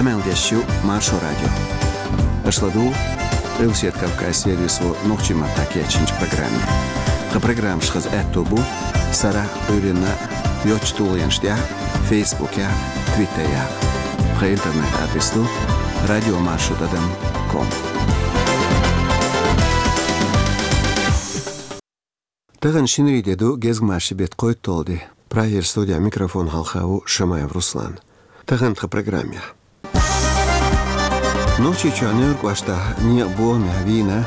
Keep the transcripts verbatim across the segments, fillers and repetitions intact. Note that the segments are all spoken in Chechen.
Къамел деш ю Маршо радио. Аша ладугӀу Къилбаседа Кавказ сервисо нохчийн маттахь кечйинчу программе. Тхан программаш хаза аьтто бу сарахь а, Ӏуьйранна а йоцчу тулгӀенаш тӀехь а, Фейсбукехь а, Твиттерехь а. Тхан интернет-адрес ду радиомаршо тӀадам ком. Тахана шинарин де ду, гезгмашин беттан кхойтталгӀа де. Прагера студехь микрофон хьалха ву Шамаев Руслан. Тахана тхан программехь. Нохчийчохь Нуьйр кӀоштахь некъан бохамехь вийна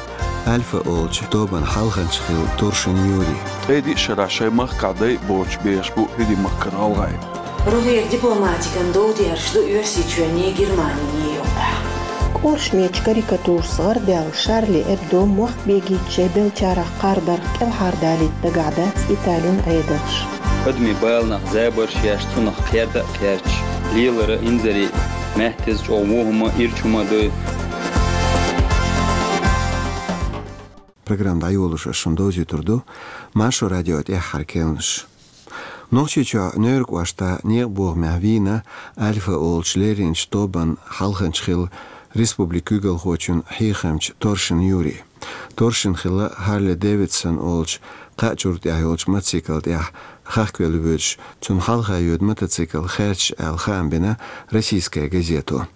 Альфа олучу тобанан хьалханча хилла Туршин Юрий. Ткъе диъ шарахь шайн махкахь дайа боцуш бехаш бу ХӀирийн махкара гӀалгӀай. РогӀера дипломатикан дов дерш ду Оьрсийчоьнний, Германинний юкъахь. КӀоршмечу карикатурашца гӀардаьлла Шарли Эбдо мохк бегийча шайн беллачарах кхардарх кӀелхьардалийта дагахь дац Италин Ӏедалш. Адамийн баланах забарш еш, цунах кхерда а кхерчаш, лелара инзаре а, маьттаза чӀогӀа вон хӀума а, ирча хӀума а дой. Программа дӀайолош ас шуна довзуьйтур ду Маршо радион тӀаьххьара керланаш. Нохчийчохь Нуьйр кӀоштахь некъан бохамехь вийна Альфа олучу лерринчу тобанан хьалханча хилла республикан куьйгалхочун хьехамча Торшин Юрий. Торшин хилла Харли Дэвидсон олучу кхаа чуьра тӀехь йолчу мотоцикла тӀехь хахкавелла воьдуш, цунна хьалха йоьду мотоцикл хаьрчаш аьлла хаам бина «Российская газета».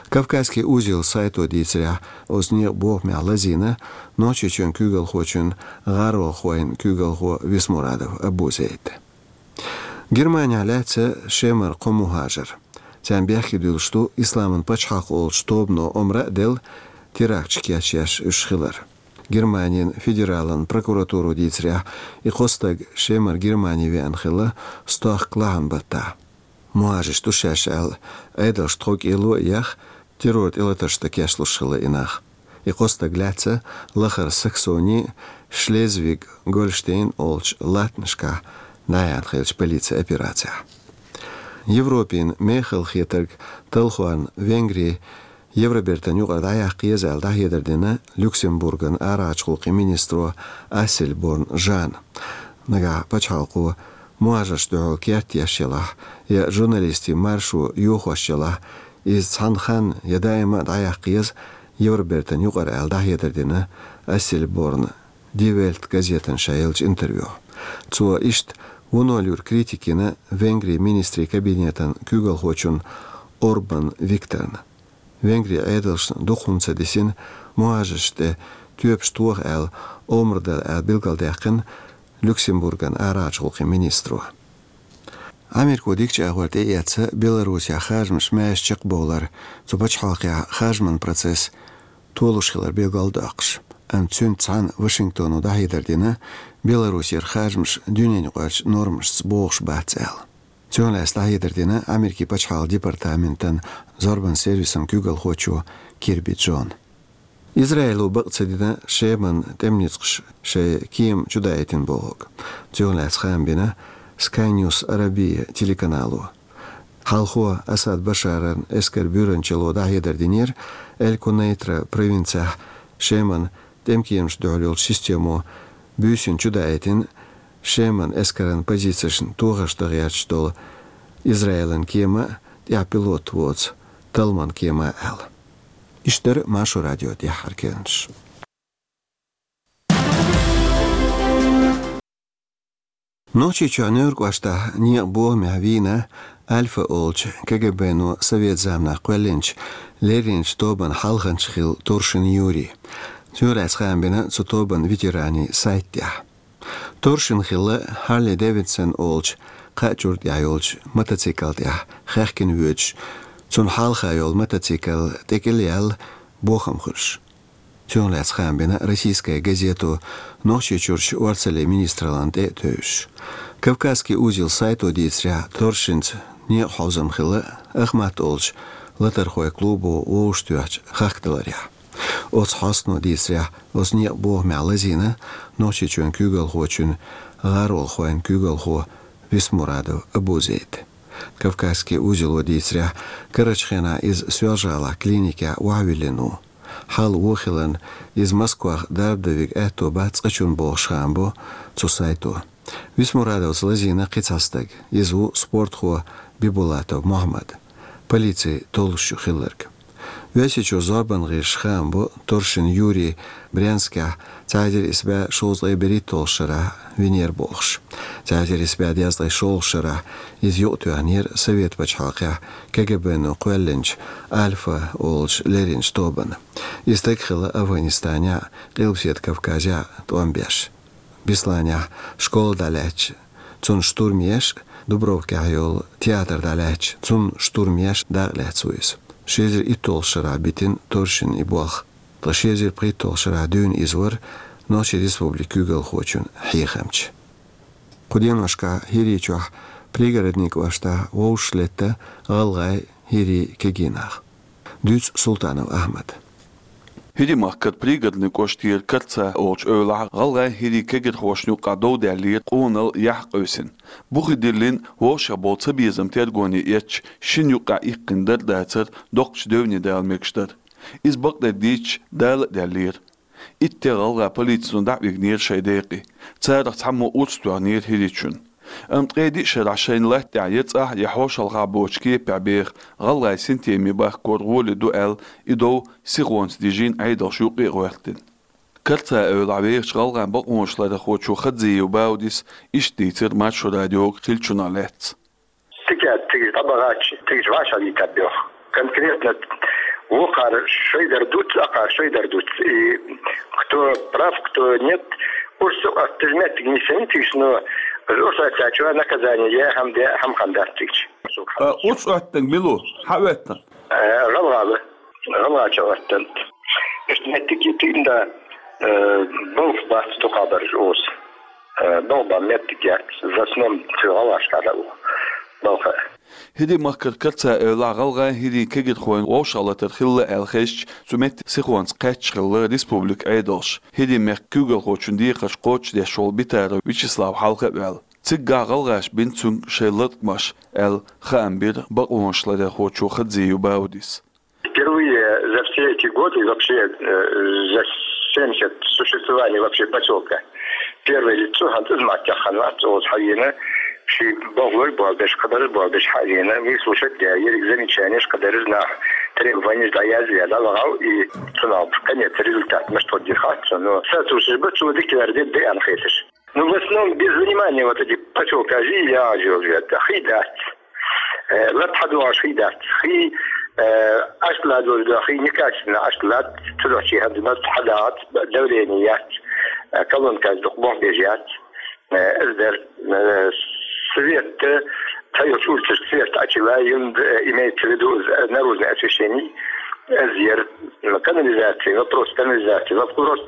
«Кавказский узел» сайто дийцарехь, оцу некъан бохамехь лазийна Нохчийчоьнан куьйгалхочун гӀаролхойн куьйгалхо Висмурадов Абузейд. Германехь лаьцна Шемара кхо мухӀажар. Царна бехке дуьллуш ду Исламан пачхьалкх олучу тобано омра а делла, теракташ кечъеш уьш хилар. Германин федералан прокуратуро дийцарехь, и кхо стаг Шемара Германи веана хилла стохка лахьан баттахь. МухӀажарш ду шаьш аьлла, Ӏедалшна тхов кӀело а яьхна, террор тӀелатаршна кечлуш хилла и нах. И кхо стаг лаьцна лахара Саксони, Шлезвиг-Гольштейн олучу латтанашкахь дӀаяьхьна хиллачу полицин операцехь. Европин мехала хетарг талхорна Венгри Евробертан юкъара дӀаяккха еза аьлла дӀахьедар дина Люксембурган арахьарчу гӀуллакхийн министро Ассельборн Жанна. Нагахь пачхьалкхо мухӀажаршна дуьхьал керт еш елахь я журналистийн маршо йохош елахь, иза цхьана ханна я даима а дӀаяккха еза Евробертан юкъара аьлла дӀахьедар дина Ассельборн Die Welt газетана ша еллачу интервьюхь. Цо иштта вуно луьра критика йина Венгрин министрийн кабинетан куьйгалхочунна Орбан Викторна. Венгрин Ӏедалшна дукха хӀума ца дисина, мухӀажаршна тӀе тоьпаш тоха аьлла, омра дара аьлла билгалдаьккхина Люксембурган арахьарчу гӀуллакхийн министро. Америко дикачу агӀор тӀеэцна Беларусехь харжамаш маьрша чекхбовлар, цу пачхьалкхехь харжаман процесс толуш хилар билгалдоккхуш. Амма цуьнца цхьаьна Вашингтоно дӀахьедар дина, Беларусера харжамаш дуьненаюкъарчу нормашца богӀуш бац аьлла. Цунах лаьцна дӀахьедар дина Америкин пачхьалкхан департаментан зорбан сервисан куьйгалхочо Кирби Джона. Израило бакъ ца дина Шеман тӀеман ницкъаша шайн кема чудаийтина бохург. Цунах лаьцна хаам бина Sky News Arabian телеканало. Хьалхо Асад Башаран эскаран буьйранчалло дӀахьедар динера, Эль-Кунейтра провинцехь Шеман тӀемкемашна дуьхьал йолчу системо буьйсанна чудаийтина Шеман эскаран позицешна тохарш дан гӀерташ долу Израилан кема а, тӀехь пилот воцу Талман кема а аьлла. Иштта дара Маршо радион тӀаьххьара керланаш. Нохчийчохь Нуьйр кӀоштахь некъан бохамехь вийна Альфа олучу КГБ-но совет заманахь кхоьллинчу лерринчу тобанан хьалханча хилла Туршин Юрий. Цунах лаьцна хаам бина цу тобанан ветеранийн сайта тӀехь. Туршин хилла Харли Дэвидсон олучу кхаа чуьра тӀехь йолчу мотоцикла тӀехь хаьхкина воьдуш, цунна хьалха йолу мотоцикл тӀекӀел яьлла бохам хуьлуш. Цунах лаьцна хаам бина «Российская газето» Нохчийчуьрчу орцаллин министраллина тӀе а тевжаш. «Кавказский узел» сайто дийцарехь, Туршинца некъан хьовзам хилла Ахмат олучу латархойн клубо вовшахтоьхначу хахкадаларехь. Оцу хьостано дийцарехь, оцу некъан бохамехь лазийна Нохчийчоьнан куьйгалхочун гӀаролхойн куьйгалхо Висмурадов Абузейд. «Кавказский узело» дийцарехь, карарчу хенахь иза Соьлжа-ГӀалахь клиникехь охьавиллина ву. Хьал вон хиларна, иза Москвахь дарба дан верг аьтто бац цкъачунна бохуш хаам бо цу сайто. Висмурадовца лазийна кхин цхьа стаг. Иза ву спортхо Бибулатов Мохьмад. полици толлуш ю хилларг. Оьрсийчоь зорбан гӀирсаша хаам бу Торшин Юрий Брянскехь цхьа эзар исс бӀе шовзткъе берхӀитталгӀачу шарахь винера бохуш. Цхьа эзар исс бӀе дезткъе шолгӀачу шарахь иза юкъатоьхнера Совет пачхьалкхехь КГБ-но кхоьллинчу «Альфа» олучу леринчу тобанна. И стаг хилла Афганистанехь а, Къилбаседа Кавказехь а тӀом беш. Бесланехь школа дӀалаьцча, цунна штурм еш, Дубровкехь йолу театр дӀалаьцча, цунна штурм еш дакъа лаьцна ву иза. Ши эзар итталгӀачу шарахь битина Торшина и болх. Ткъа ши эзар пхийтталгӀачу шарахь дуьйна иза вара Нохчийн Республикан куьйгалхочун хьехамча. Кху деношкахь ХӀирийчохь Пригородни кӀоштахь вовшахлетта гӀалгӀай, хӀирий, кегий нах. Дуьйцу Султанов Ахьмада. ХӀирийн-махкара Пригородни кӀоштера Карца олучу эвлахь гӀалгӀай, хӀирий кегирхошна юкъахь дов даьллера къоналла яхь къевсина. Бухе диллина вовшахбовла цабезам тергоне эцча, шина юкъахь иккхина дар а дацара, доккхачу девне дала мегаш дара. Иза бакъдерг дийцича, дала а даьллера. Итт де гӀалгӀай полицино дӀа а вигнера шайн декъе. Царах цхьаммо урс тоьхнера хӀирийчунна. Амма ткъе диъ шарахь шайна латта тӀехь я цӀахь, я хьошалгӀахь боцучу кепехь беха гӀалгӀай синтеме бахкор гӀоли ду аьлла, и дов сихонца дижийна Ӏедалша юккъе а гӀоьртина. Карца эвлахь вехачу гӀалгӀайн бакъонашларъярхочо Хадзиев Баудис иштта дийцира Маршо радиога хиллачунах лаьцна. Цигахь цига дӀабахча, цига вӀашагӀлийтар боху. Конкретно вукхара шайдар дуц, акхара шайдар дуц. И кто прав, кто нет, урс а оттуш меттиг нисана цига, но урс оттачо наказание я хӀама де, хӀама хан дац цига. А, урс оттаниг мила ву? Хьан оьттан? Э, гӀалгӀа ву. ГӀалгӀачо оттан. Иштта меттиг тӀе да, э, балха бац дукхахберш оцу. Э, балха бан меттиг яц, в основном цу гӀалгӀашкахь а ву балха. ХӀирийн-махкара Карца эвлахь гӀалгӀай, хӀирий кегирхойн вовшахлатар хилла аьлла хезча, цу метте сихонца кхаьчна хилла республикан Ӏедалш. ХӀирийн-мехкан куьйгалхочун декхарш кхочушдеш волу Битаров Вячеслав хьалха а ваьлла. Цигахь гӀалгӀаша бина цуьнга шайн латкъамаш аьлла, хаам бира бакъонашларъярхочо Хадзиев Баудис. Впервые за все эти годы, вообще, э, за семьдесят существования вообще посёлка, первое лицо хӀинца иза маттех хан вац, оцу хьавена, ши бохлой болбеш, кхадарш болбеш хьавена, выслушать я, ерриг замечаниеш, кхадарш нах, требованиеш дӀаязъяла, вагӀал и цунах конец результат, мишта хӀоттийра хац, но соответствующий бу цо дика вер де деана хеташ. Ну, в основном без внимания вот эти посёлка жи я жил же. Хи дац. Э, лат хьадогӀуш хи дац. Хи, э, ашла дозда хи некачественно ашла, цудохчи хадна хьадац, давление яц, э, колонка дукха бохбеш яц. Э, эздер, э, свет, э, цайо шурчаш свет ачила, юнд, э, имеется в виду, э, наружное освещение, эздер. Канализация, вопрос канализации, вопрос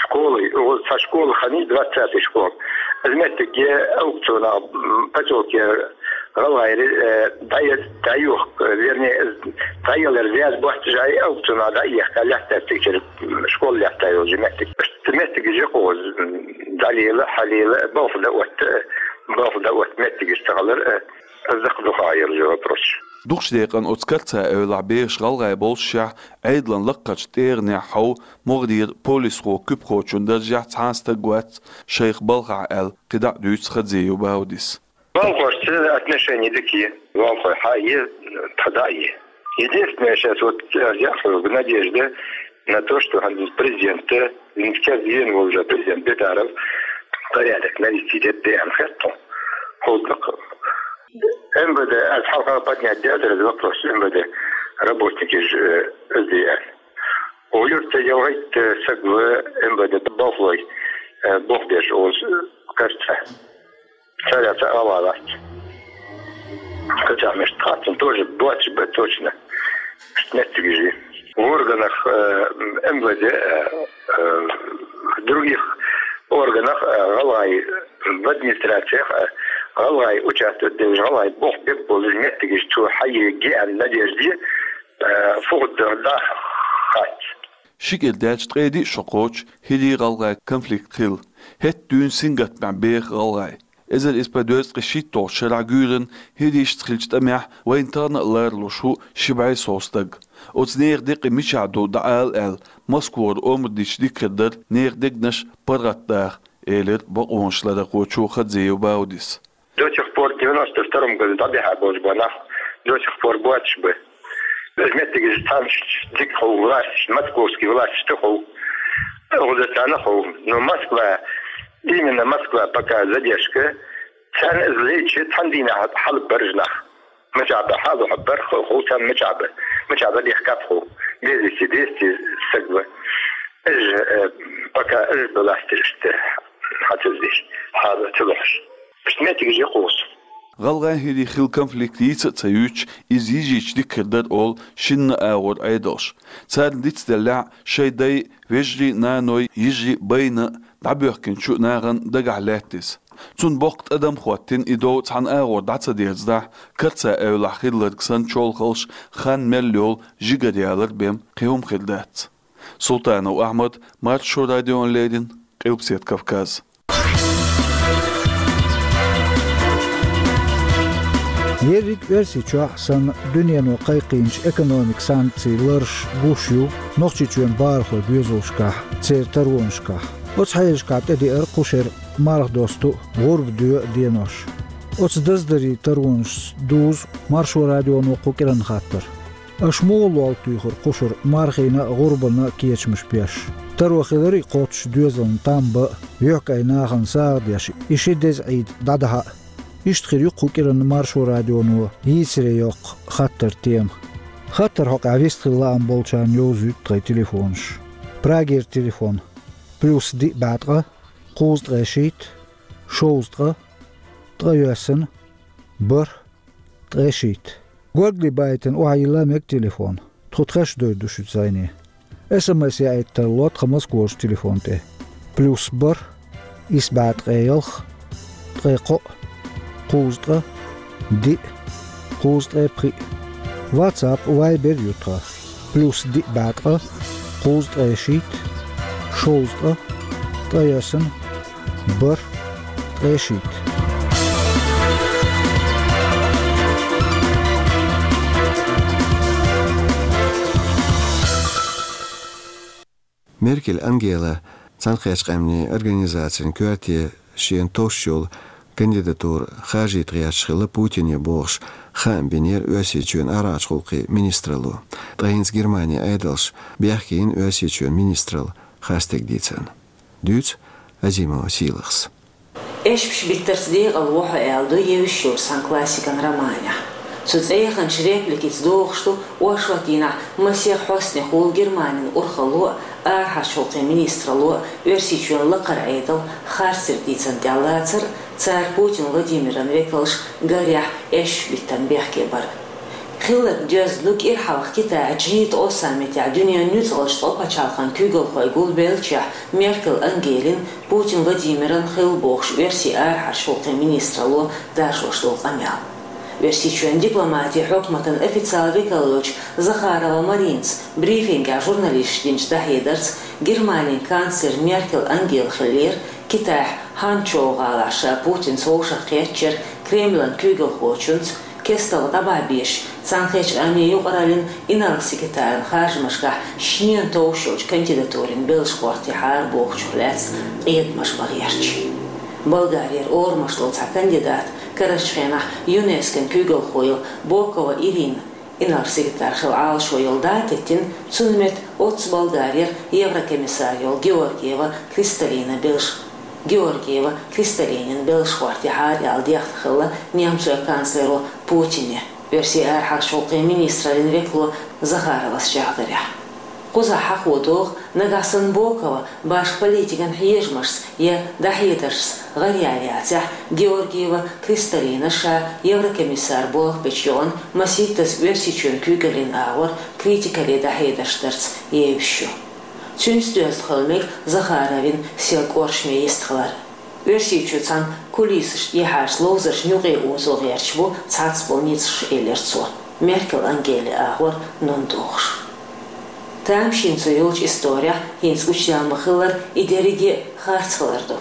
школы. Вот со школы хани двадцатый школ. Из меттиге аукциона, м, посёлке гӀалгӀайри, э, дӀае-, дӀаюх, вернее, дӀаелар зяз бохтажай аукциона дӀаеха лаьтта цигара, м, школа лаьтта йолчу меттиг. Меттигаш жа кхуза, м, дӀалела, хьалела, балха да отта, балха да отта меттигаш ца хилар, э, Закъа дукха яра же вопрос. Дукхачу декъана оцу Карца эвлахь бехаш гӀалгӀай боллушехь, Ӏедалан лаккхарчу тӀегӀанехь хьовха могӀарера полисхо-куьпахочун даржехь цхьа а стаг вац шайх балхахь аьлла, кхидӀа а дуьйцу Хадзиев Баудис. Балхошца отношения дика я, балхой хьа а е, тхо дӀа а е. Единственное, сейчас вот, э, я в надежде на то, что президент, э, Министерство военного уже президент Бедаров порядок навести дет деян хетту. Холдак. МВД, аз хьалха поднять дет этот вопрос, МВД работники же, э, СДР. О, юрта ялгайт, э, сагва МВД бохлой, э, бохбеш оз, э, кажется. Царя ца алалац. Хотя, между прочим, тоже двадцать б точно. Меттигижи. В органах, э, МВД, э, э, в других органах, э, гӀалгӀай, в администрациях, э, гӀалгӀай участвовать деш, гӀалгӀай бохбеш болу меттигаш цо хьае геан надежде, э, фугъа да хац. Ши кӀира даьлча ткъе диъ шо кхочу хӀирий-гӀалгӀай конфликт хилла. ХӀетта дуьйна сингаттамехь беха гӀалгӀай. Эзар исс бӀе дезткъе шийтталгӀачу шарахь гуьйранна хӀирийшца хиллачу тӀамехь вайна тахана а ларалуш ву ши бӀе сов стаг. Оцу нехан декъий мичахь ду дӀаала аьлла, Москвара омра дича дикагӀа дара нехан дегнаш паргӀатдаха, элира бакъонашларъярхочо Хадзиев Баудис. До сих пор, девяносто втором году дӀабихьа болчу бо нах, до сих пор боцуш бу. Из меттигаш цхьаннех дика хов власть, московский власть хов, гӀудатана хов. Но Москва, именно Москва пока задержка, царна из лечи цхьан дийнахьа хьалбаржнах. Мичаб хьалу хьабар хо-, хов царна мичаб. Мичаб дехкап хов. Без вести, двести саг ва. Иж, э, пока иж власть иштта хьацаздеш. Хьала ца лохаш. Иштта меттигаш я кхуза. ГӀалгӀай хӀирий хилла конфликт йийца а ца юьйцуш, иза йижийча дика хир дара олу шинна агӀор Ӏедалш. Царна дицделлехь, шайн дай, вежарий, наной, йижарий байна а, дӀабоьхкинчу нахана дагахь лаьтта иза. Цунна боккха тӀадам хӀоттийна, и дов цхьана агӀор дӀа ца дерзадахь, карца эвлахь хилларг санна чолхалш, хан мел йолу жигара ялар бен кхин хӀума хир дац. Султанов Ахьмад, Маршо радиона леррина, Къилбаседа Кавказ. Ерриг Оьрсийчохь санна дуьнено кхайкхийначу экономикан санкцийн ларш гуш ю Нохчийчоьнан бахархойн доьзалшкахь, церан таронашкахь. Оцу хьелашкахь тӀедеара кху шеран марха досту а, гӀурба доьху а денош. Оцу даздарийн таронашца дузу Маршо радионо кху кӀиранан хаттар. Аша муха лол туьйхира кху шарахь мархина а, гӀурбана а кечамаш беш? Таро хиларий кхоччуш доьзална там бан а, юьхькӀайн нахана сагӀа деш, и ши деза Ӏийда дӀадахьа а? Иштта хир ю кху кӀиранан Маршо радионо йийцаре йоккху хаттаран тема. Хаттаран хьокъехь вистхила лаам болчарна йовзуьйту тхайн телефонаш. Прагера телефон: плюс диъ бӀе ткъа, кхузткъе шийтта, шовзткъа, ткъе йоьссана, бархӀ, ткъе шийтта. Горгали байтина охьайилла мега телефон. Тхо тхаьш довр ду шуьца зӀене. СМС яийта тарло тхан Москварчу телефон тӀе: плюс бархӀ, исс бӀе ткъе ялх, ткъе кхоъ, кхузткъа, диъ, кхузткъе пхиъ. WhatsApp, Viber ю тхан: плюс диъ бӀе ткъа, кхузткъе шийтта, шовзткъа, ткъе йоьссана, бархӀ, ткъе шийтта. Меркель Ангела Цхьаьнакхеттачу Къаьмнийн Организацин коьрте шена товш йолу кандидатура харжийта гӀерташ хилла Путине бохуш, хаам бинера Оьрсийчоьнан арахьарчу гӀуллакхийн министралло. Ткъа хӀинца Германин Ӏедалша бехке йина Оьрсийчоьнан министралла харцдерг дийцарна. Дуьйцу Азимова Сийлахьас. Эшпаш биттарца декъала во хьо аьлла ду евзаш йолчу сан классикан романехь. Цу цӀе яханчу репликица догӀуш ду оршот дийнахь масех хьостанехула Германин урхалло а, арахьарчу гӀуллакхийн министралло а Оьрсийчоьнан лакхара Ӏедал харцдерг дийцарна тӀехь лацар а, цара Путин Владимиран векалш гарехь эшпаш биттарна бехке бар а. Хилларг доьзна ду кӀира хьалха Китайхь джи ткъо саммитехь дуьненан нуьцкъалчу ткъо пачхьалкхан куьйгалхой гулбеллачохь Меркель Ангелин, Путин Владимиран хилла бохуш оьрсийн арахьарчу гӀуллакхийн министралло даржош долу къамел. Оьрсийчоьнан дипломатин хьукматан официалан векал йолчу Захарова Маринас брифингехь журналисташка динчу дӀахьедарца, Германин канцлер Меркель Ангела хиллера Китайхь Ханчжоу гӀалахь ша Путинца вовшахкхеттачу Кремлан куьйгалхочуьнца, кестта дӀабахьа безачу Цхьаьнакхеттачу Къаьмнийн юкъараллин инарла-секретаран харжамашкахь шена товш йолчу кандидатурин белшаш гӀортийхьара бохучух лаьцна къедамаш бан гӀерташ. Болгарера орамаш долу цхьа кандидат, карарчу хенахь ЮНЕСКОн куьйгалхо йолу Бокова Ирина, инарла-секретарь хила Ӏалашо йолу дӀа а теттина, цунна метта оццу Болгарера еврокомиссар йолу Георгиева Кристалина белш-, Георгиева Кристалинин белшаш гӀортийхьара аьлла дехна хилла немцойн канцлеро Путине оьрсийн арахьарчу гӀуллакхийн министраллин векало Захаровас чӀагӀдарехь. Кхузахь хьахо догӀу, нагахь санна Бокова башха политикан хьежамашца я дӀахьедаршца гӀараяьлла яцахь, Георгиева Кристалина ша еврокомиссар болх бечу йоӀана масийттаза Оьрсийчоьнан куьйгаллин агӀор критикале дӀахьедарш дарца евзаш ю. Цуьнца доьзна хила мега Захаровин сел кӀоршаме йистхилар. Оьрсийчу цхьана кулисашна тӀехьарчу ловзаршна юкъе озо гӀерташ бу цхьацца болу ницкъаш, элира цо, Меркель Ангелин агӀор нун дохуш. Тамашийна цо йолчу исторехь хӀинца гучудаьлла ма-хиллара, и дерриге а харц хилар ду.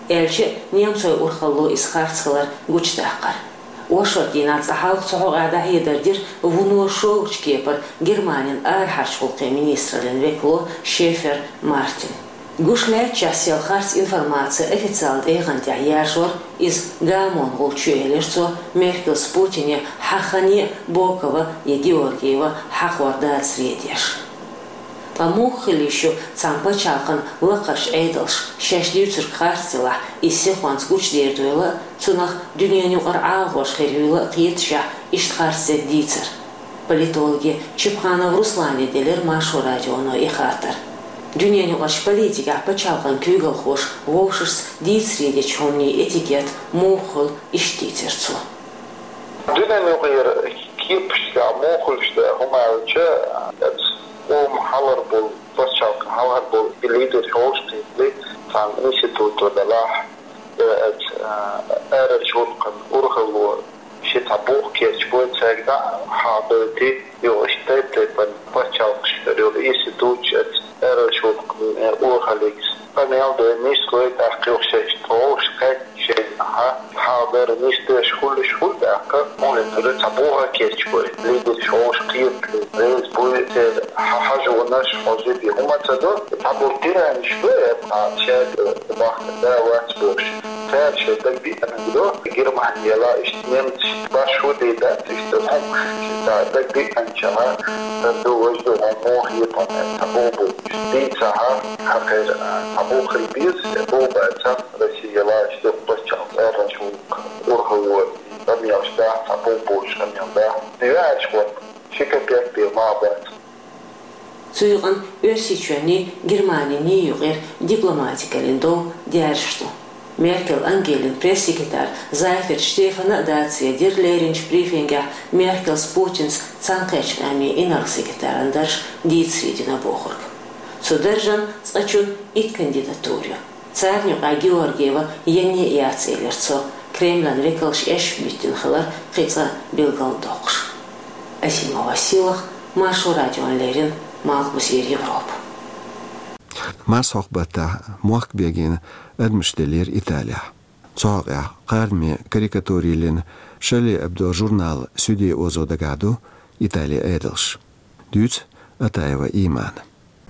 Аьлча а, немцойн урхалло иза харц хилар гучудаккхара. Оршот дийнахь цкъа хьалха цу хьокъехь дӀахьедар дира вуно шолгӀачу кепара Германин арахьарчу гӀуллакхийн министраллин векало Шефер Мартин. Гуш лаьттачохь сел харц информаци официалан тӀегӀан тӀехь яржор, иза гамон гӀулч ю, элира цо, Меркелс, Путине хьаххане а Бокова я Георгиева хьахор дацаре деш. Ткъа муха хила йиш ю цхьана пачхьалкхан лакхарчу Ӏедалша шаьш дуьйцург харц делахь, иза сихонца гучудер дойла а, цунах дуьненан юкъара Ӏалахош хир юйла а кхеташехь, иштта харц дерг дийцар? Политологе Чепханов Руслане делира Маршо радионо и хаттар. Дуьненан юкъарчу политикехь пачхьалкхан куьйгалхоша вовшашца дийцаре дечу хӀуманийн этикет муха хуьлу, иштта дийцира цо. Дуьненан юкъара кепаш тӀехь муха хуьлуш дара хӀума аьлча, оцу къоман хьалхара болу, пачхьалкхан хьалхара болу и лидерш вовшахкхетале, цхьана институто делахь, э, оцу, э, арахьарчу гӀуллакхан урхалло шен цхьа бух кечбой, цаьрга дӀа а хьадойтий, юха иштта тайп-тайпана пачхьалкхашкара йолу институташ оцу арахьарчу гӀуллакхан, э, урхаллица къамел дой, нислой, тӀаккха юха шаьш тховш кхаьчча шайна хьа, хьалдара нисдеш хуьлуш хуьлу тӀаккха, хӀунда аьлча цхьа бух кечбой, лидерш вовшахкхетале, реза буй, церан хьа-, хьажонаш хьожий, хӀума ца до, цхьаболу тиранаш ду, э, цхьа шаьрга бахкана да вац бохуш. Цара шайн дагадеанарг до, Германи яла иштта немцаш башхо дийдац, иштта хӀума, цара дагадеанчара, дар ду, важа ду, хьо муха хетахь, ца боху бу. Дийцахьа, хьакхайра, ца боху хила беза, боху баьцахь, Россия яла иштта пачхьалкх арахьарчу гӀуллакхан урхалло, къамелаш дахь, ца боху бохуш къамел дахь. Веача гӀо, ши копейк бен ма бац. Цу юкъана Оьрсийчоьнний, Германиний юкъара дипломатикаллин дов даьржаш ду. Меркел Ангелин пресс-секретарь Зайферт Штефана а дацаре дира леринчу брифингехь Меркелс, Путинс цхьаьнакхеттачу Ӏамийн инарла-секретаран дарж дийцаре дина бохург. Цу даржан цкъачунна итт кандидатура ю. Царна юкъахь Георгиева янне а яц, элира цо, Кремлан векалш эшпа биттина хилар кхин цкъа билгалдоккхуш. Асима Василах, Маршо радиона леррина, Малхбузера Европа. Марсхьокху баттахь мохк бегийна адамаш деллера Италехь. Цу хьокъехь кхардаме карикатура йиллина Шарли Эбдо журнал суьде озо дагахь ду Италин Ӏедалш. Дуьйцу Атаева Имана.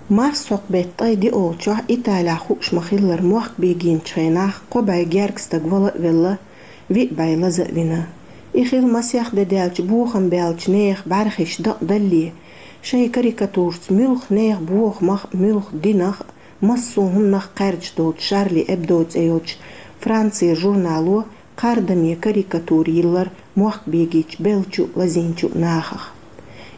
Марсхьокху беттан ткъе диъолчохь Италехь хууш ма-хиллара, мохк бегийначу хенахь кхо бӀе гергга стаг вала а велла, виъ бӀе лаза а вина. И хилла масех де даьлча бохам баьллачу нехан бӀаьрхиш дакъадаллалц, шайн карикатурашца муьлхха нехан бохамах а, муьлхха динах а, массо а хӀуманах кхаьрдаш долчу Шарли Эбдо цӀе йолчу Францера журнало кхардаме карикатура йиллира мохк бегийчу беллачу а, лазийначу а нахах.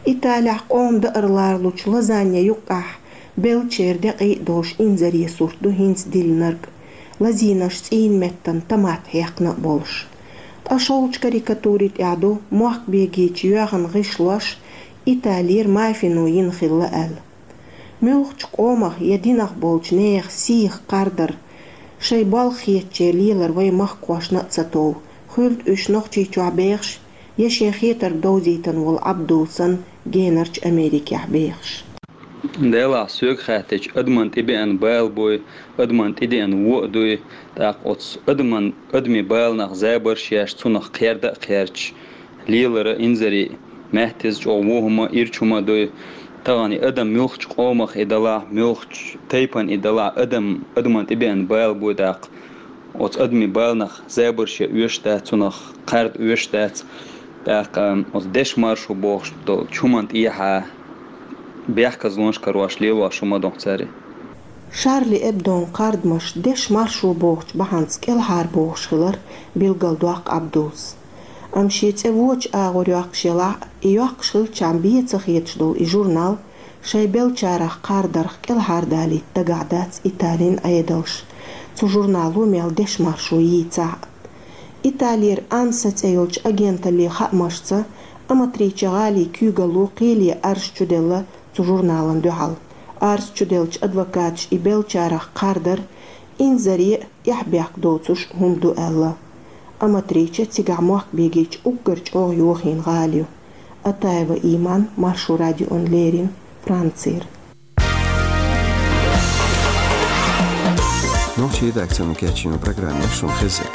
Италехь къоман даар лоруш лазанье юккъехь беллачеран декъий а долуш инзаре сурт ду хӀинца диллинарг, лазийнарш цӀийнан меттана томат хьекхна а болуш. Ткъа шолгӀачу карикатури тӀехь ду мохк бегийчу йоьхна гӀишлош Италера мафино йина хилла аьлла. Муьлххачу къомах я динах болчу нехан сийх кхардар, шайн болх хетачеран лелар вайн махкахошна а ца тов, хуьлда уьш Нохчийчохь бехаш, я шен хетарг довзийтина волу Ӏабдул санна генарчу Америкехь бехаш. Делахь соьга хаьттича, адаман тӀебеана бала буй, адаман тӀедеана вон а дуй, тӀаккха оцу адаман, адамийн баланах забарш еш, цунах кхерда а кхердаш, лелара инзаре, маьттаза чӀогӀа вон хӀума, ирча хӀума дуй. Тахана и адам муьлххачу къомах и далахь, муьлххачу тайпана и далахь, адам, адаман тӀебеана бала буй тӀаккха. Оцу адамийн баланах забарш ян оьшуш дац, цунах кхарда оьшуш дац. ТӀаккха оцу дешан маршо бохуш долчу хӀуманна тӀехьа бехказлонаш карош лелош хӀума ду-кх цара. Шарли Эбдон кхардамаш дешан маршо бохучу бахьанца кӀелхьарбохуш хилар билгалдоккху Ӏабдулс. Амма шен цӀе вочу агӀор йоккхуш елахь а, и йоккхуш хилчахьана бен ца хеташ долу и журнал шайн беллачарах кхардарх кӀелхьардалийта дагахь дац Италин Ӏедалш, цу журнало мел дешан маршо йийцахь а. Италера АНСА цӀе йолчу агенталлин хаамашца, Аматриче гӀалин куьйгалло кхеле арз чуделла цу журнална дуьхьал. Арз чуделлачу адвокаташа и беллачарах кхардар инзаре а, эхь-бехк доцуш хӀума ду аьлла. Аматриче цигахь мохк бегийчу уггар чӀогӀа йохийна гӀала ю. Атаева Иман, Маршо радиона леррина, Францера. Нохчийн редакцино кечйина программа шуна хезнарг.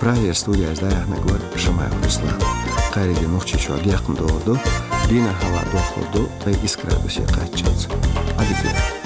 Прагера студехь яздахьанаг вара Шамаев Руслан. Кхариге Нохчийчохь декхна догӀур ду, дийнахь хӀаваъ дохлур ду ткъе исс градусе кхаччалц. Ӏадика.